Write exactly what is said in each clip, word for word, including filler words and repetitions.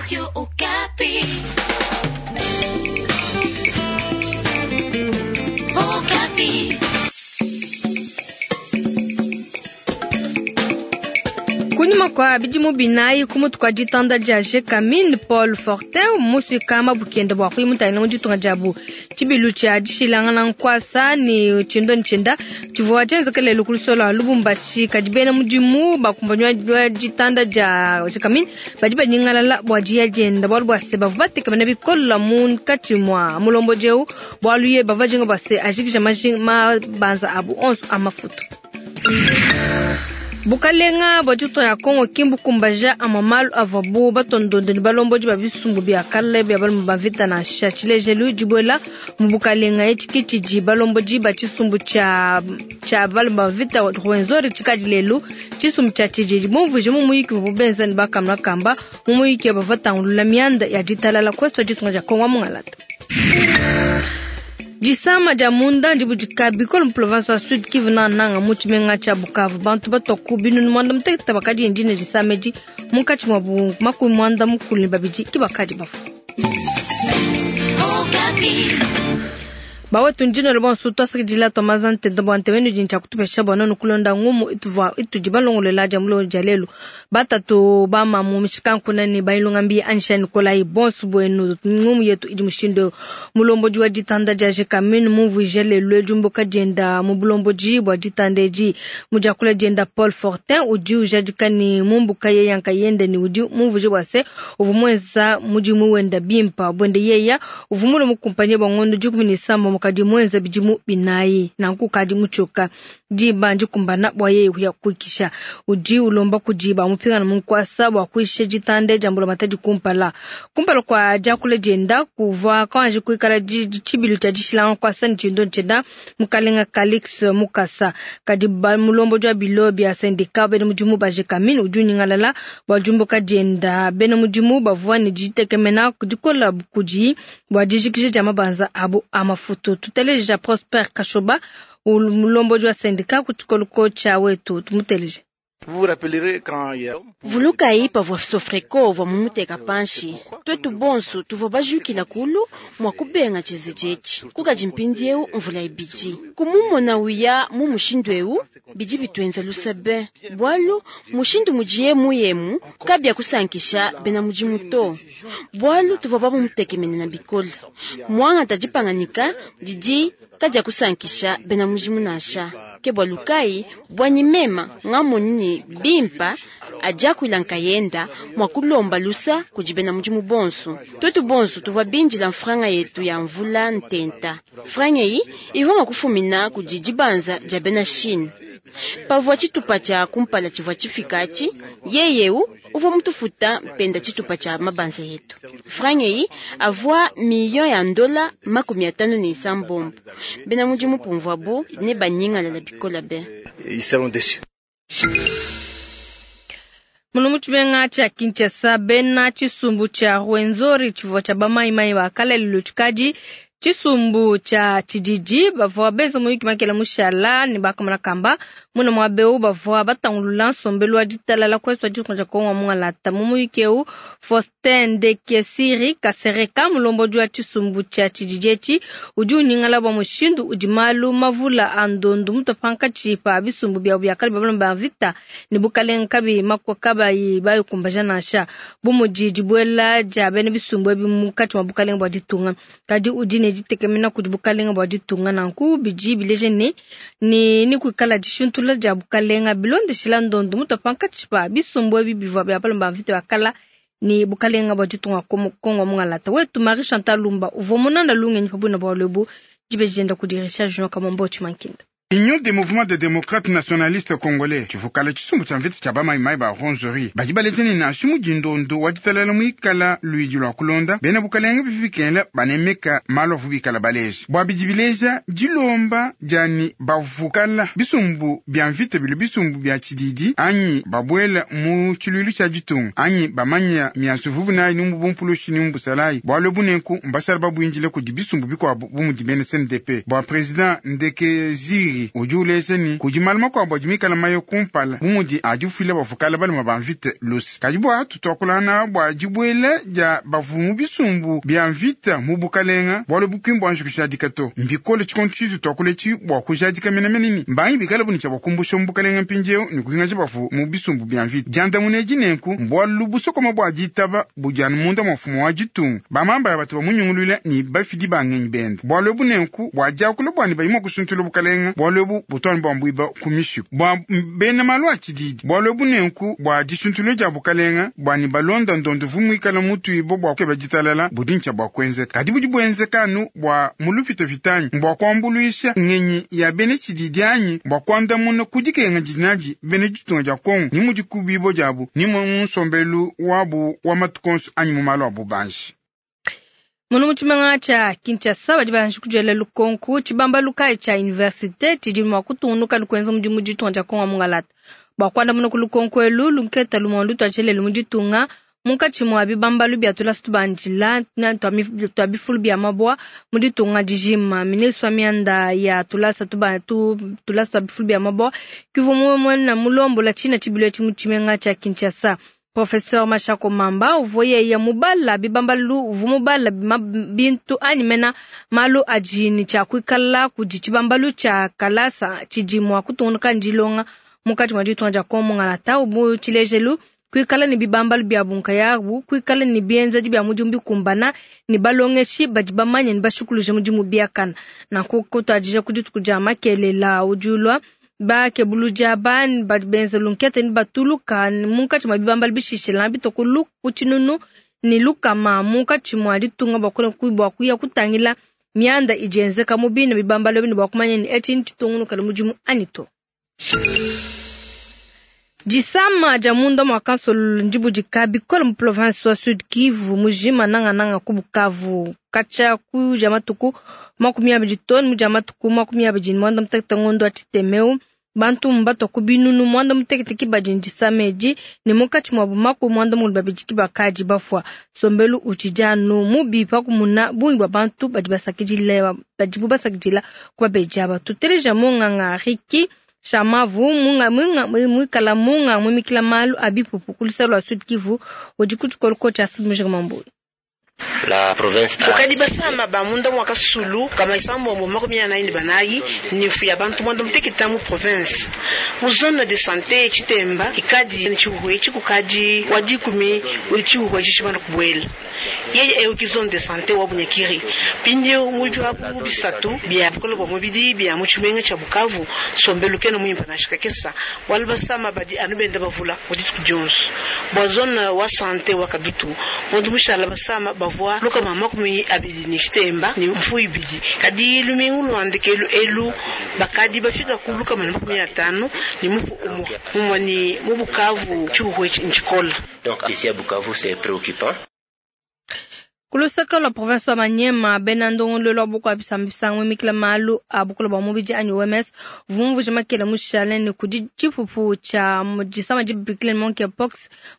Radio Okapi. Okapi. Kunyima kua bidimu binayi ku mutu kua ditanda dia Gécamines Paul Fortin musuika mabukenda bua kuyimutangila mu ditunga diabu. Tshibilu tshia dishilangana nkuasa ne tshindo ne tshienda tshivua tshienzeka lelu ku lusolo lua Lubumbashi. Kadi bena mudimu bakumbanywa ditanda dia Gécamines badi banyingalala bua diya dienda bualu bua se bavua batekemena bikole munkatshi mua mulombodi eu bualu ye bavua bajinga bua se ajikija mabanza abu onso a mafutu. Bukalenga bua ditunga ya Kongo ki mbukumbaja amue malu avuabu batondonde ne balombodi ba bisumbu bia kale bia balume ba mvita nansha. Tshilejelu dibuela mu bukalenga etshi ke tshidi balombodi ba tshisumbu tshia tshia balume ba mvita Rwenzori tshikadi lelu tshisumbu tshia tshididi bumvuije mu muyiki uvuabu benza ne bakamuna kamba mu muyiki bavua batangulula mianda ya ditalala ku est ditunga dia Kongo wa mungalata. Disama dia munda ndibudika bikole mu province wa Sud Kivu nananga mu tshimenga tshia Bukavu. Bantu batua ku binunu muanda mutekete bakadi ndine disama edi munkatshi muabu makumi muanda mukulu ne babidi ke bakadi bafua. Okapi. Bawetu ndino bonso twasakidila twamaza ntenta bua ntemenu dini tshia kutupesha bua nonu kulonda ngumu ituvua itudi balongolola dia mulongo dia lelu. Batatu bamamu mishikankuna ne bailunga mbi Anisha Nikolai bonso buenu ngumu yetu idi mushindo mulombodi wa ditanda dia Gécamines mumvuije lelu diumbuka dienda mu bulombodi bua ditanda edi mudiakula dienda Paul Fortin udi ujadika ne mumbuka yeya nkayende ne udi mumvuije bua se uvua muenza mudimu wenda bimpa buende yeya uvua mule mukumpanye bua ngondo dikumi ne isambombo kadi muenza bidimu binayi nanku kadi mutshoka diba ndikumbana bua yeye kuya kuikisha. Udi ulomba kudi bamupingana mu nkuasa bua kuisha ditanda dia mbulamatadi kumpala kumpala kua diakula dienda kuvua kanji kuikala tshibilu tshia dishilanga nkuasa ne tshindo tshienda mukalenga Calix Mukasa. Kadi mulombodi wa bilo bia syndicat bena mudimu ba Gécamines udi unyingalala bua diumbuka dienda. Bena mudimu bavua ne ditekemena dikola kudi bua dijikija dia mabanza abu a mafutu. Tuteleja Prosper Kashoba mulombodi wa syndicat ku tshikolo tshia wetu tumuteleje. Vulukayi pavua Sofreko uvua mumuteka panshi twetu bonso tuvua bajukila kulu mua kubenga tshize etshi kukadi mpindieu mvula ibidi kumumona uya mu mushindu eu bidi bituenza lusabe bualu mushindu mudiye muyemu kabia kusankisha bena mudimu to bualu tuvua bamumutekemenena bikole muangata dipanganika didi kadia kusankisha bena mudimu nansha ke bualu kayi bwanyi mema ngamonyi ne bimpa adiakuila nkayenda mua kulomba lusa kudi bena mudimu bonso. Twetu bonso tuvua bindila mfranga yetu ya mvula ntenta. Franga eyi ivua mua kufumina kudi dibanza dia bena Chine. Pavua tshitupa tshia kumpala tshivua tshifika atshi, yeyeu uvua mutufuta mpenda tshitupa tshia mabanza yetu. Franga eyi avua miliyo ya ndola makumi atanu ne isambombo. Bena mudimu pumvuabu ne banyingalala bikole be. Muno mu tshimenga tshia Kinshasa bena tshisumbu tshia Rwenzori tshivua tshia bamayimayi ba kale lelu tshikadi tshisumbu tshia tshididi bavua benza muyuki makela mushala ne bakamona kamba muna muaba eu bavua batangulula nsombelu wa ditalala ku est wa ditunga dia Kongo wa mungalata. Mu muyuki eu Faustin Ndekesiri Kasereka mulombodi wa tshisumbu tshia tshididi etshi udi unyingala bua mushindu udi malu mavula a ndondu mutua pankatshi pa bisumbu biabu bia kale bia balume ba mvita ne bukalenga kabi makua kabayi bayikumbaja nansha bu mudi dibuela dia bena bisumbu ebi munkatshi mua bukalenga bua ditunga. Kadi udi ne ditekemena kudi bukalenga bua ditunga nanku bidi bileja ne ne ni kuikala dishintula dia bukalenga bilondeshila ndondu mutua pankatshi pa bisumbu ebi bivua bia balume ba mvita ba kala ne bukalenga bua ditunga Kongo wa mungalata. Wetu Marie Chantal Lumba uvua munanda lungenyi pa buina bualu ebu dibeji dienda kudi Richard Junior Kamombo Tshimankinda. Union des mouvements des démocrates nationalistes congolais tshivukala tshisumbu tshia mvita tshia bamayimayi ba Rwenzori badi baleja ne nansha mudindondo wa ditalala muikala luidi lua kulonda bena bukalenge bifikela banemeka malu avu bikala baleja bua bidi bileja dilomba diani bavukala bisumbu bia mvita bili bisumbu bia tshididi anyi babuela mu tshiluilu tshia ditunga anyi bamanya miansu vuvu nayi ni mubumpulushi ni mubusalayi bualu bunenku mbashala babuindile kudi bisumbu bikuabu bu mudi bena C N D P bua president Ndekeziri Henri udi uleja ne kudi malu makuabu adi mikale maye kumpala bu mudi adifuila bavua balume ba mvita luse. Kadi bua tutuakulana bua dibuela dia bavua mu bisumbu bia mvita mu bukalenga bualu buki mbua kujadika to mbikole tshikondo tshitu tuakula etshi bua kujadika menemene ni mbangi bikale buni tshia bakumbusha mu bukalenga mpindieu ne kuhingaja bavua mu bisumbu bia mvita. Diandamuna edi nenku mbualu busokoma bua ditaba budi anu munda mua mfumu wa ditunga bamamba ya batu bamunyungulula ne bafidi ba ngenyi bende. Bualu ebu nenku bua diakula bua ne bayima kusuntula bukalenga bualu ebu butuani bua mbuiba ku mishiku bua bena malu a tshididi. Bualu ebu nenku bua disuntula dia bukalenga bua ne balonda ndondo vu muikala mutuibo bua kukeba ditalala budi ntshia bua kuenzeka. Kadi budi buenzeka anu bua mulupitapita anyi bua kuambuluisha ngenyi ya bena tshididi anyi bua kuandamuna ku dikenga dinadi bena ditunga dia Kongo ni mudi kubibo diabu ni mu nsombelu wabu wa matuku onso anyi mu malu a bubanji. Munu mu tshimenga tshia Kinshasa badi banji kudiela lukonku tshibambalu kayi tshia universite tshidi mua kutungunuka ne kuenza mudimu ditunga dia Kongo mungalata. Bua kuandamuna ku lukonku elu lunketa lumue lutuatshielele mu ditunga munkatshi mua bibambalu bia tulasa tubandila tua bifulu bia mabua mu ditunga dijima. Ministre wa mianda ya tulasa tuba tu tulasa tua bifulu bia mabua kivua muena mulombola tshina tshibilu etshi mu tshimenga tshia Kinshasa. Professeur Mashako Mamba uvua yeye mubala bibambalu uvua mubala bintu anyi mena malu adi ne tshia kuikala kudi tshibambalu tshia kalasa tshidi mua kutungunuka ndilonga munkatshi mua ditunga dia Kongo mungalata ubu tshilejelu kuikala ne bibambalu bia bunkayabu kuikala ne bienzedi bia mudimu bikumbana ne balongeshi badi bamanye ne bashukuluje mudimu biakana. Nanku kutuadija ku dituku dia makelela udi ulua bakebuluja bani badi benza lunkete ne batuluka munkatshi mua bibambalu bishishila bitokulu ku tshinunu ne lukama munkatshi mua ditunga bua kuya kutangila mianda idi yenzeka mu bine bibambalu bine bua kumanya ne etshi ntshitungunuka ne mudimu anyi to. Disama dia munda mua kansolo ndibudika bikole mu province wa Sud Kivu mujima nangananga ku Bukavu katshia ku dia matuku makumi abidi too mu dia matuku makumi abidi ne muanda mutekete ngondo wa tshitemeu bantu mbatwa ku binunu muanda mutekete ki badi ndisama edi ne munkatshi muabu makumi muanda mukulu babidi ki bakadi bafua. Sombelu utshidi anu mubi pakumuna bungi bua bantu badi basakidila badibu basakidila ku babedi aba. Tuteleja munganga Riki Shamavu munga munga mwikala munga mwimikila malu abipupu kulisa lwa Sud Kivu udi kutshikoloko tshia Sud Mambo. La province ukadi basama ba munda mwa kasulu kama isambo makumi anayi ne banayi nifu ya bantu mwanda muteketa mu province mu zone de santé Chitemba ikadi ni chihuwe chikukadi wadikumi uli chihuwe chishibana kubwela yeye euki zone de santé wa Bunyakiri pindio mu bya bisatu bya bukolo bwa mubidi bya mu tshimenga tsha Bukavu sombelu kena muimpa na shikakesa wal basama badi anubenda bavula udi Jones bwa zone wa santé wa Kadutu mundu mushala basama bavua luka mama makumi abidi ni Chitemba ni mfu ibidi kadi lumingu luandikelu elu bakadi bafika ku luka mama makumi atano ni mufu umwa mumwa ni mu Bukavu chihuwe nchikola. Donc ici à Bukavu c'est préoccupant. Kulusaka lwa province wa Manyema bena ndongolo lwa boko abisambisanga mwimikila malu a bukolo bwa mubidi anyi O M S vumvuje makela mushale ne kudi tshipupu tsha disama dibikile monkeypox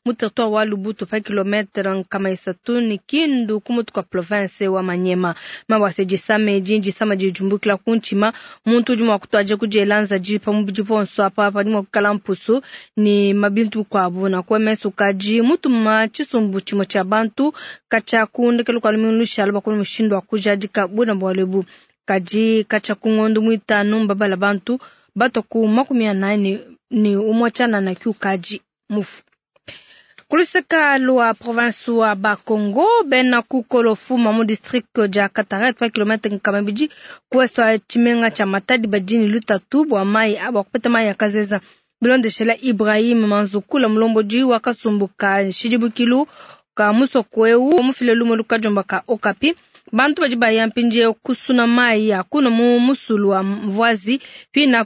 mu territoire wa Lubutu pa kilometre nkama isatu ne Kindu ku mutu kwa province wa Manyema. Mabwase disama edi disama dijumbukila ku ntshima muntu udi mua kutuadija kudielanza dipa mubidi ponso apa padi mua kukala mpusu ne mabintu kuabu na ku O M S ukadi mutuma tshisumbu tshimue tshia bantu katshia ku ndekelu kwa lumingu lushala bakulu mushindu wa kujadika buna bwalebu kadi katshia ku ngondo muitanu mbabala bantu bato ku makumi anane ni umwe tshana na kiukaji mufu. Kuluseka lwa province wa Bakongo bena kukolo fuma mu district dia Kataret pa kilometre nkama ibidi ku est wa tshimenga tshia Matadi badini lutatu bua mai bua kupeta mai ya kazeza. Bilondeshela Ibrahim Manzukula mulombodi wa kasumbu ka shidibukilu ka musoko eu mufile lumo lukajomba ka Okapi bantu badi baya mpindieu kusuna mai ya kuna mu musulu wa mvuazi pina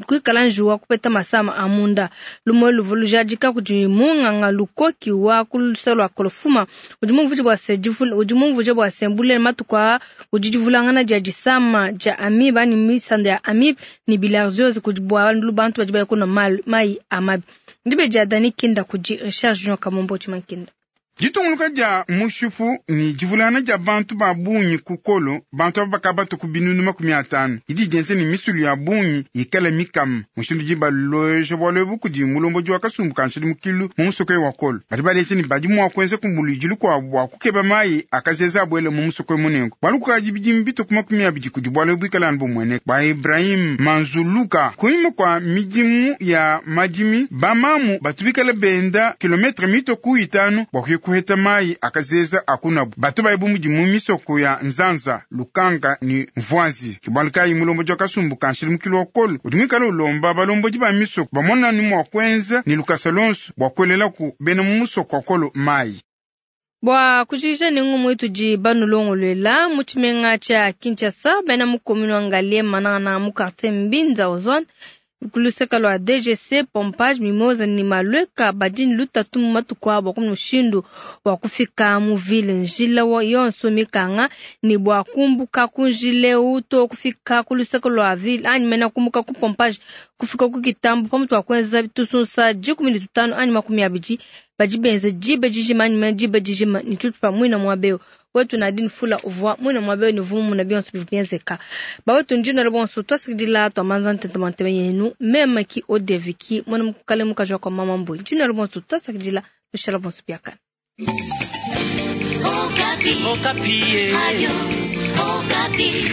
kuikala njuwa kupeta masama a munda lumo luvu lujadika kudi munganga lukoki wa kulusa lwa kolofuma udi mumvuje bua se difula udi mumvuje bua se mbule matuku a udi divulangana dia disama dia amibe ani misanda ya amibe ni bilharziose kudi bua bantu badi baya kuna mai a mabi ndibe dia Dani Kinda kudi Richard Junior Kamombo Chimankinda. Ditunguluka dia mushipu ni divulana dia bantu ba bungi ku kolo, bantu aba bakabatu ku binunu makumi atanu. Idi dienze ni misulu ya bungi ikala mikam. Mushindu di baloje bwalo ebu kudi mulomboji wa kasumbu ka nshidimukilu mu musoko wa kolo. Badi balese ni badi mua kuenza kumbuluijilu kwa bua kukeba mayi akazeza abwele mu musoko munengo. Bwalu kukaji bidimu bitu ku makumi abidi kudi bwalo ebu ikala anu bumwene. Ba Ibrahim Manzuluka kunyima kwa midimu ya madimi bamamu batubikala benda kilometre mito ku itanu bwa kuye kuheta mayi akazeza akunabu. Batu bayebu mudimu misoko ya Nzanza, Lukanga ni Mvwazi. Kibwalu kayi mulomboji wa kasumbu ka nshidimukilu wa kolo udi mwikala ulomba balomboji ba misoko bamona ni mwa kuenza ni lukasa lonso bwa kuelela ku bena mu musoko wa kolo mayi. Bwa kujikija ni ngumu itudi banulongolwela mu tshimenga tshia Kinshasa bena mu commune wa Ngaliema na mu quartier Mbinza Ozone kuluseka lwa D G C Pompage Mimosa ni Malweka badini lutatu mu matuku abo ku mushindu wa kufika mu ville njila wa yonso mikanga ni bwa kumbuka kunjile uto kufika kuluseka lwa ville anyi mena kumbuka ku Pompage kufika ku Kitambo pamutu wa kwenza bitusunsa dikumi ne tutanu anyi makumi abidi badi benze jibe jijima anyi mena jibe jijima ni tutu mwina mwabeo wetu Nadine Fula uvwa mwina mwabeo ni vumu na bionso bivyenzeka bawetu njina lebonso twasikidila twamanza ntente mantebe yenu mema ki odeviki mwana mukale mukajwa kwa mama mbui njina lebonso twasikidila lushala bonso biakana. Okapi. Okapi. Radio Okapi.